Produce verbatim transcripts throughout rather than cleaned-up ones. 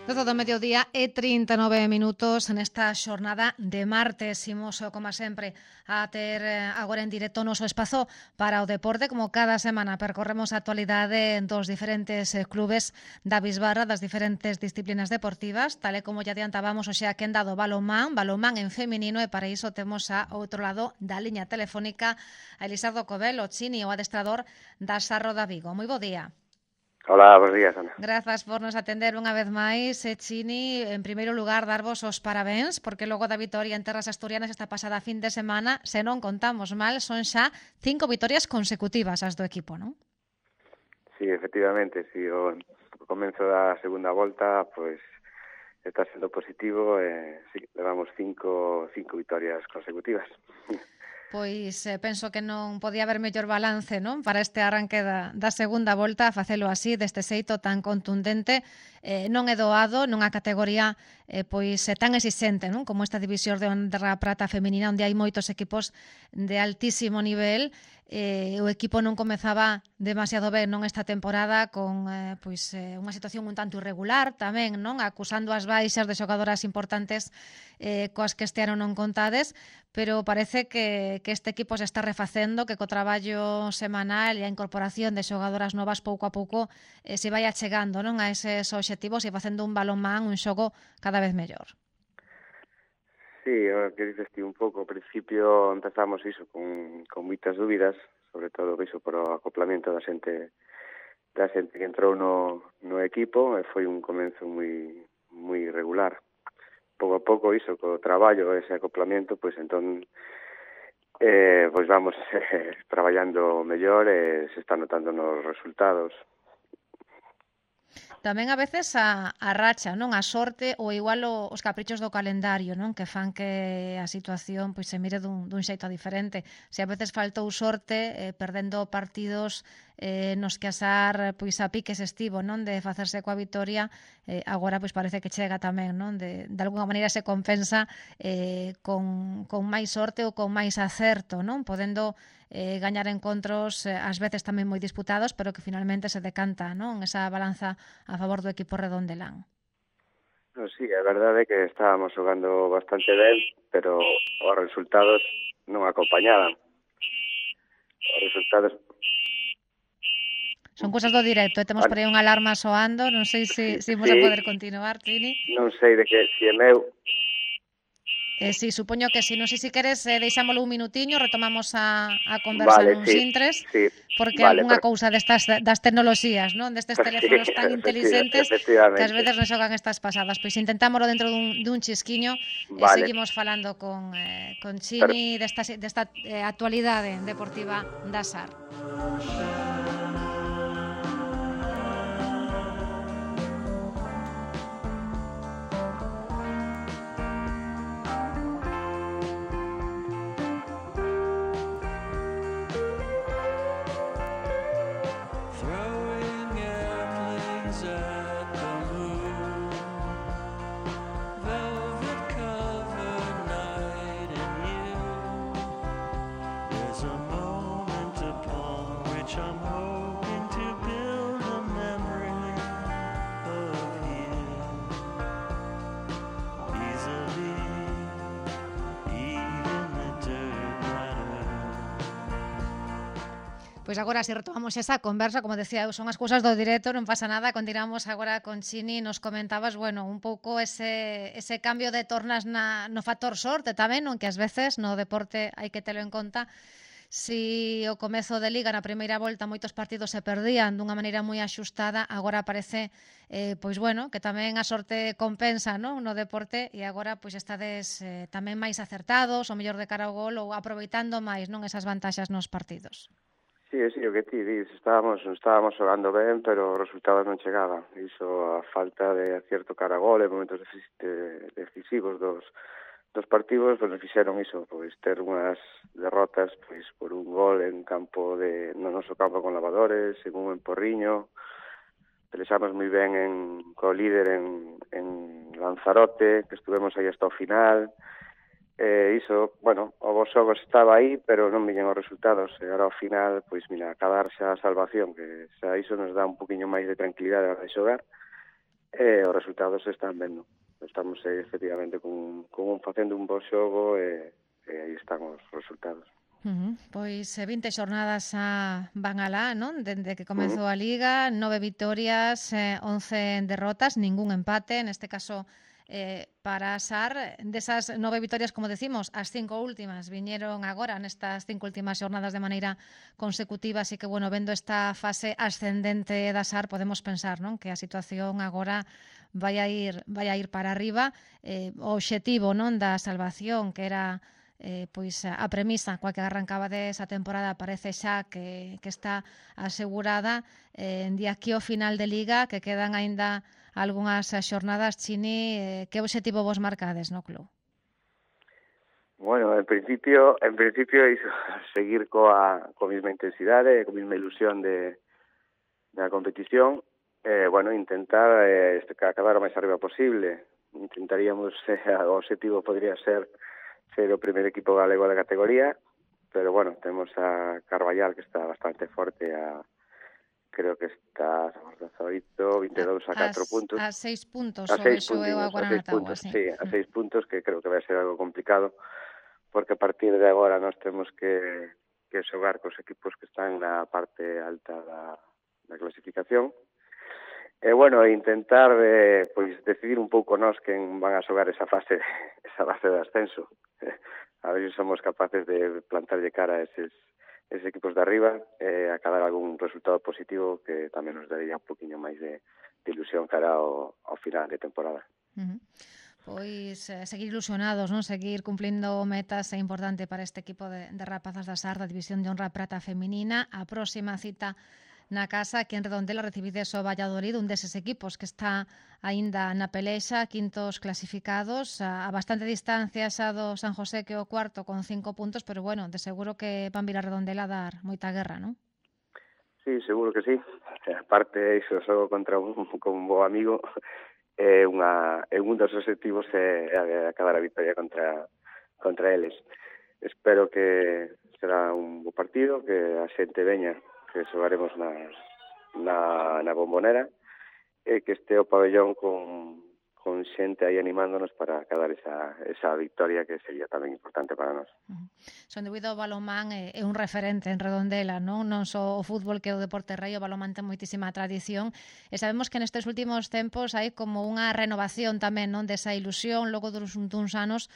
doce do mediodía e trinta e nove minutos nesta xornada de martes. Imos, como sempre, a ter agora en directo o noso espazo para o deporte. Como cada semana percorremos a actualidade dos diferentes clubes da Bisbarra, das diferentes disciplinas deportivas, tal e como ya adiantábamos, o xa que en dado balonmán, balonmán en feminino, e para iso temos a outro lado da liña telefónica a Elisardo Cobel, o Chini, o adestrador da Sarro da Vigo. Moi bo día. Hola, bons días, Ana. Grazas por nos atender unha vez máis, eh, Chini. En primeiro lugar, darvos os parabéns, porque logo da vitoria en terras asturianas esta pasada fin de semana, se non contamos mal, son xa cinco vitorias consecutivas as do equipo, non? Sí, efectivamente, si o comenzo da segunda volta, pois está sendo positivo, e sí, levamos cinco, cinco vitorias consecutivas. Pois eh, penso que non podía haber mellor balance, non, para este arranque da, da segunda volta, a facelo así, deste xeito tan contundente. Eh, non é doado nunha categoría eh, pois eh, tan exixente, non, como esta división de honra prata feminina, onde hai moitos equipos de altísimo nivel. Eh, o equipo non comezaba demasiado ben non esta temporada, con eh, pois eh, unha situación un tanto irregular tamén, non, acusando as baixas de xogadoras importantes eh, coas que este ano non contades, pero parece que, que este equipo se está refacendo, que co traballo semanal e a incorporación de xogadoras novas pouco a pouco eh, se vai achegando, non, a eses obxectivos e facendo un balonmán, un xogo cada vez mellor. Sí, o que dices ti un pouco, ao principio empezamos iso con, con moitas dúbidas, sobre todo iso por o acoplamiento da xente da xente que entrou no, no equipo, e foi un comenzo moi moi irregular. Pouco a pouco iso, co traballo, ese acoplamiento, pois entón eh, pois vamos eh, traballando mellor e se está notando nos resultados. Tamén a veces a, a racha, non, a sorte ou igual o, os caprichos do calendario, non, que fan que a situación pois se mire dun, dun xeito diferente. Se a veces faltou sorte eh, perdendo partidos eh, nos que asar pois a piques estivo, non, de facerse coa vitoria, eh, agora pois parece que chega tamén, non, de, de alguna maneira se compensa eh, con, con máis sorte ou con máis acerto, non, podendo eh, gañar encontros eh, ás veces tamén moi disputados, pero que finalmente se decanta, non, esa balanza a favor do equipo redondelán. No, sí, a verdade é que estábamos xogando bastante ben, pero os resultados non acompañaban. Os resultados... Son cousas do directo, e temos por aí unha alarma soando, non sei se, se imos a poder continuar, Chini. Non sei de que, si é meu... Eh, sí, supoño que si, non sei se queres eh, deixámoslo un minutiño, retomamos a, a conversa vale, nuns sí, intres, sí, porque vale, algunha pero... cousa destas das tecnoloxías, non, destes teléfonos sí, tan inteligentes que ás veces nos xogan estas pasadas. Pois intentámoslo dentro dun, dun chisquiño e vale. seguimos falando con, eh, con Chini pero... desta, desta eh, actualidade deportiva da S A R. Pois agora, se retomamos esa conversa, como decía, son as cousas do directo, non pasa nada, continuamos agora con Chini, nos comentabas, bueno, un pouco ese, ese cambio de tornas na, no factor sorte tamén, non, que ás veces no deporte hai que telo en conta. Si o comezo de Liga na primeira volta moitos partidos se perdían dunha maneira moi axustada, agora parece eh, pois bueno, que tamén a sorte compensa, non, no deporte, e agora pois estades eh, tamén máis acertados, o mellor de cara ao gol, ou aproveitando máis, non, esas vantaxas nos partidos. Sí, sí, o que ti dis, estábamos, estábamos xogando ben, pero os resultados non chegaban. Iso, a falta de acierto cara a gol, en momentos decisivos dos, dos partidos, pois nos fixeron iso, pois ter unhas derrotas pois por un gol en campo de, no noso campo con Lavadores, en un emporriño. Pelexamos moi ben en, co líder en, en Lanzarote, que estuvemos aí hasta o final. Eh, iso, bueno, o vos xogos estaba aí, pero non viñen os resultados, e agora ao final, pois, mira, acabar xa a salvación, que xa iso nos dá un poquinho máis de tranquilidade a hora de xogar, e os resultados se están vendo. Estamos eh, efectivamente con, con un, facendo un bo xogo e, e aí están os resultados. Uh -huh. Pois eh, vinte xornadas a van alá, non? Dende que comezou Uh -huh. a Liga, nove vitorias, eh, once derrotas, ningún empate, neste caso eh, para a SAR. Desas nove vitorias, como decimos, as cinco últimas viñeron agora nestas cinco últimas xornadas de maneira consecutiva, así que, bueno, vendo esta fase ascendente da SAR, podemos pensar, non? Que a situación agora vai a ir, vai a ir para arriba. Eh, o obxectivo, non, da salvación, que era Eh, pois a premisa coa que arrancaba desa temporada parece xa que, que está asegurada. Eh, de aquí ao final de Liga, que quedan aínda algunhas xornadas, Chini, eh, que obxectivo vos marcades no club? Bueno, en principio, en principio iso, seguir coa, coa mesma intensidade, coa mesma ilusión de da competición, eh, bueno, intentar eh, acabar o máis arriba posible. Intentaríamos, eh, o obxectivo podría ser ser o primer equipo galego da categoría, pero bueno, temos a Carballal que está bastante forte, a creo que está dezaoito, vinte e dous a catro puntos. A seis puntos, a seis o puntos, a seis puntos, sí, a seis puntos, que creo que vai ser algo complicado, porque a partir de agora nós temos que, que xogar cos equipos que están na parte alta da, da clasificación. E, bueno, intentar eh, pois decidir un pouco nós quen van a xogar esa fase esa fase de ascenso. A ver se somos capaces de plantarlle cara a eses, eses equipos de arriba e eh, acabar algún resultado positivo que tamén nos daría un poquinho máis de, de ilusión cara ao, ao final de temporada. Uh -huh. Pois eh, seguir ilusionados, non? Seguir cumplindo metas é importante para este equipo de, de rapazas da SAR da División de Honra Prata Feminina. A próxima cita na casa, aquí en Redondela, recibides o Valladolid, un deses equipos que está aínda na pelexa, quintos clasificados, a, a bastante distancia xa do San José, que é o cuarto con cinco puntos, pero bueno, de seguro que van vir a Redondela a dar moita guerra, non? Sí, seguro que sí. Aparte, iso, xogo contra un, con un bo amigo, é unha, é un dos objetivos é acabar a victoria contra, contra eles. Espero que será un bo partido, que a xente veña, que xogaremos na, na, na Bombonera, e que este o pabellón con, con xente aí animándonos para acabar esa, esa victoria que sería tamén importante para nós. Uh-huh. Son debido ao balonmán é, é un referente en Redondela, non? Non só o fútbol, que é o deporte rei, o balonmán ten moitísima tradición, e sabemos que nestes últimos tempos hai como unha renovación tamén, non, desa ilusión, logo duns, duns anos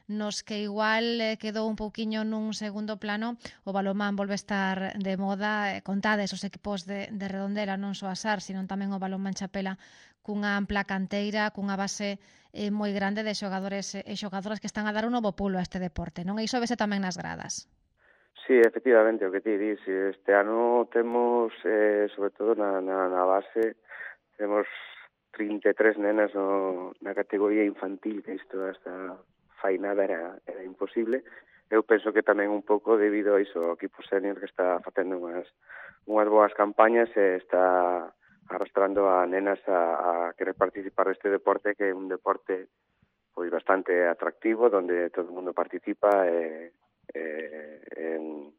nos que igual eh, quedou un pouquiño nun segundo plano. O balonmán volve a estar de moda, eh, contades os equipos de, de Redondela, non só a SAR, sino tamén o balonmán Chapela, cunha ampla canteira, cunha base eh, moi grande de xogadores e xogadoras que están a dar un novo pulo a este deporte, non? E iso vese tamén nas gradas. Sí, efectivamente, o que ti dis, este ano temos, eh, sobre todo na, na, na base, temos trinta e tres nenas no, na categoría infantil, que isto hasta fai nada era, era imposible. Eu penso que tamén un pouco debido a iso, o equipo senior que está facendo unhas, unhas boas campañas e está arrastrando a nenas a, a querer participar deste deporte, que é un deporte pois bastante atractivo, donde todo o mundo participa e, e, en,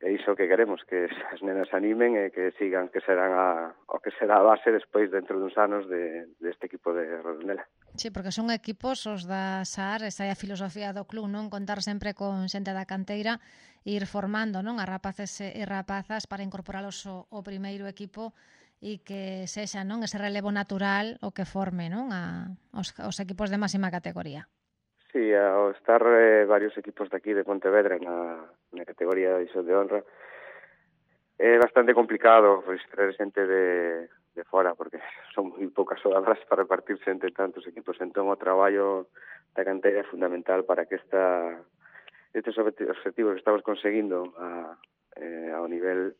e iso que queremos, que as nenas animen e que sigan, que serán a, o que será a base despois dentro duns anos de, deste equipo de Redondela. Sí, porque son equipos os da SAR, esa é a filosofía do club, non? Contar sempre con xente da canteira e ir formando, non, a rapaces e rapazas para incorporalos ao, ao primeiro equipo e que sexa, non, ese relevo natural o que forme, non, a, os, os equipos de máxima categoría. Sí, ao estar eh, varios equipos de aquí de Pontevedra na, na categoría de División de Honra é bastante complicado pois traer xente de, de fora, porque son moi poucas xogadoras para repartirse entre tantos equipos. Entón o traballo da canteira é fundamental para que esta, estes objetivos que estamos conseguindo a, eh, ao nivel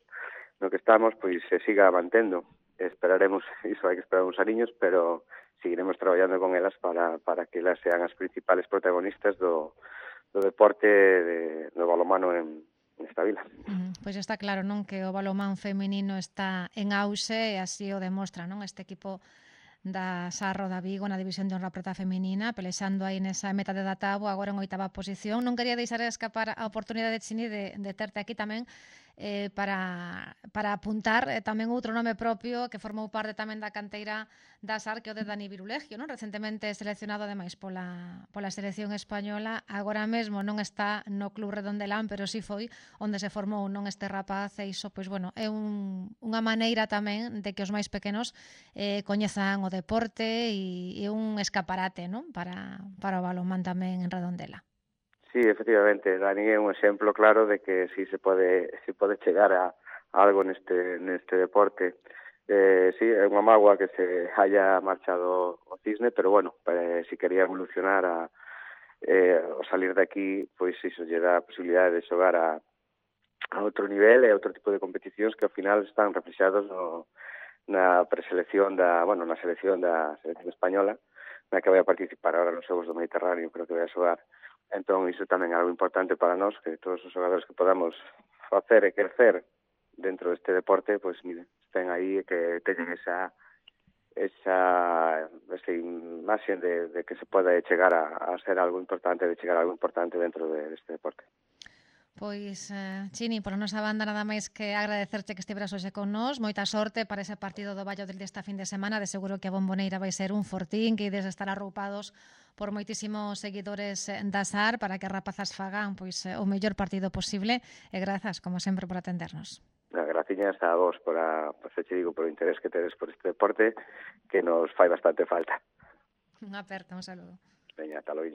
no que estamos, pois se siga mantendo. Esperaremos, iso hai que esperar uns aniños, pero seguiremos traballando con elas para, para que elas sean as principales protagonistas do, do deporte de, do balonmano en, nesta vila. Mm, pois está claro, non, que o balonmán feminino está en auxe e así o demostra, non, este equipo da Sarro da Vigo na División de Honra Prata Feminina, pelexando aí nesa meta de Databo, agora en oitava posición. Non quería deixar escapar a oportunidade, Chini, de, de terte aquí tamén eh, para, para apuntar eh, tamén outro nome propio que formou parte tamén da canteira da S A R, que o de Dani Virulegio, non? Recentemente seleccionado ademais pola, pola selección española, agora mesmo non está no Club Redondelán, pero si foi onde se formou non este rapaz, e iso, pois, bueno, é un, unha maneira tamén de que os máis pequenos eh, coñezan o deporte e, e un escaparate, non? Para, para o balonmán tamén en Redondela. Sí, efectivamente, Dani é un exemplo claro de que si se pode se pode chegar a, a algo neste neste deporte. Eh, sí, é unha mágoa que se haya marchado o Cisne, pero bueno, eh, si quería evolucionar a eh, o salir de aquí, pois iso lle dá a posibilidade de xogar a, a outro nivel e a outro tipo de competicións que ao final están reflexados no, na preselección da, bueno, na selección da selección española, na que vai a participar agora nos Xogos do Mediterráneo, creo que vai a xogar. Entón, iso tamén é algo importante para nós, que todos os xogadores que podamos facer e crecer dentro deste deporte, pois, mire, estén aí e que teñen esa esa, esa imaxe de, de que se pode chegar a, a ser algo importante, de chegar a algo importante dentro de, deste deporte. Pois, eh, Chini, pola nosa banda nada máis que agradecerte que estiveras hoxe con nós. Moita sorte para ese partido do Valladolid desta fin de semana. De seguro que a Bomboneira vai ser un fortín, que ides estar arroupados por moitísimos seguidores da S A R para que as rapazas fagan pois o mellor partido posible. E grazas, como sempre, por atendernos. Graciñas a vos por, a, por se che digo, por o interés que tedes por este deporte, que nos fai bastante falta. Unha aperta, un saludo. Veña, ata logo.